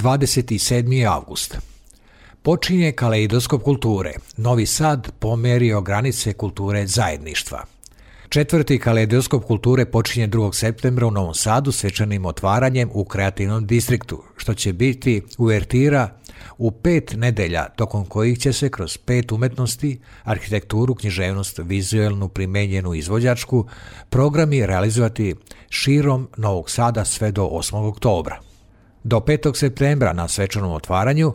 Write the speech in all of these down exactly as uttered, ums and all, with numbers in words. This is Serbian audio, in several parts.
dvadeset sedmi avgust. Počinje kaleidoskop kulture. Novi Sad pomerio granice kulture zajedništva. Četvrti kaleidoskop kulture počinje drugog septembra u Novom Sadu svečanim otvaranjem u kreativnom distriktu, što će biti uvertira u pet nedelja, tokom kojih će se kroz pet umetnosti, arhitekturu, književnost, vizuelnu, primenjenu izvođačku, programi realizovati širom Novog Sada sve do osmog oktobra. Do petog septembra na svečanom otvaranju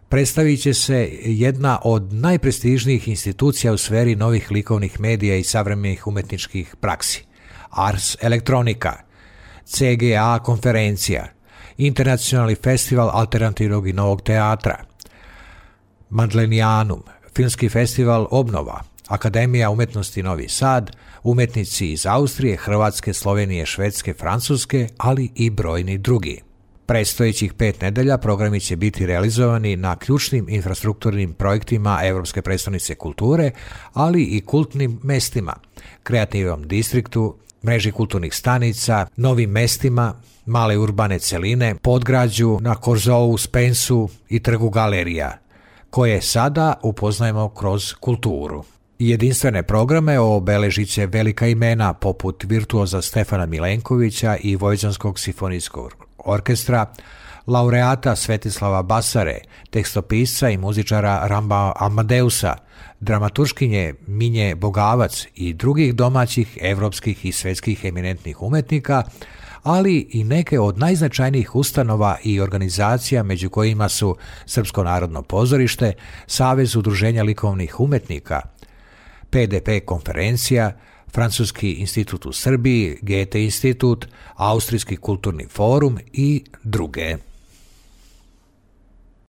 predstavit će se jedna od najprestižnijih institucija u sferi novih likovnih medija i savremenih umetničkih praksi. Ars Electronica, C G A konferencija, Internacionalni festival alternativnog i novog teatra, Madlenianum, Filmski festival Obnova, Akademija umetnosti Novi Sad, umetnici iz Austrije, Hrvatske, Slovenije, Švedske, Francuske, ali i brojni drugi. Predstojećih pet nedelja programi će biti realizovani na ključnim infrastrukturnim projektima Evropske prestonice kulture, ali i kultnim mestima, kreativnom distriktu, mreži kulturnih stanica, novim mestima, male urbane celine, podgrađu na Korzovu, Spensu i trgu galerija, koje sada upoznajemo kroz kulturu. Jedinstvene programe obeležit će velika imena poput virtuoza Stefana Milenkovića i Vojvođanskog simfonijskog orkestra, laureata Svetislava Basare, tekstopisca i muzičara Ramba Amadeusa, dramaturškinje Minje Bogavac i drugih domaćih, evropskih i svetskih eminentnih umetnika, ali i neke od najznačajnijih ustanova i organizacija, među kojima su Srpsko narodno pozorište, Savez udruženja likovnih umetnika, P D P konferencija, Francuski institut u Srbiji, Goethe institut, Austrijski kulturni forum i druge.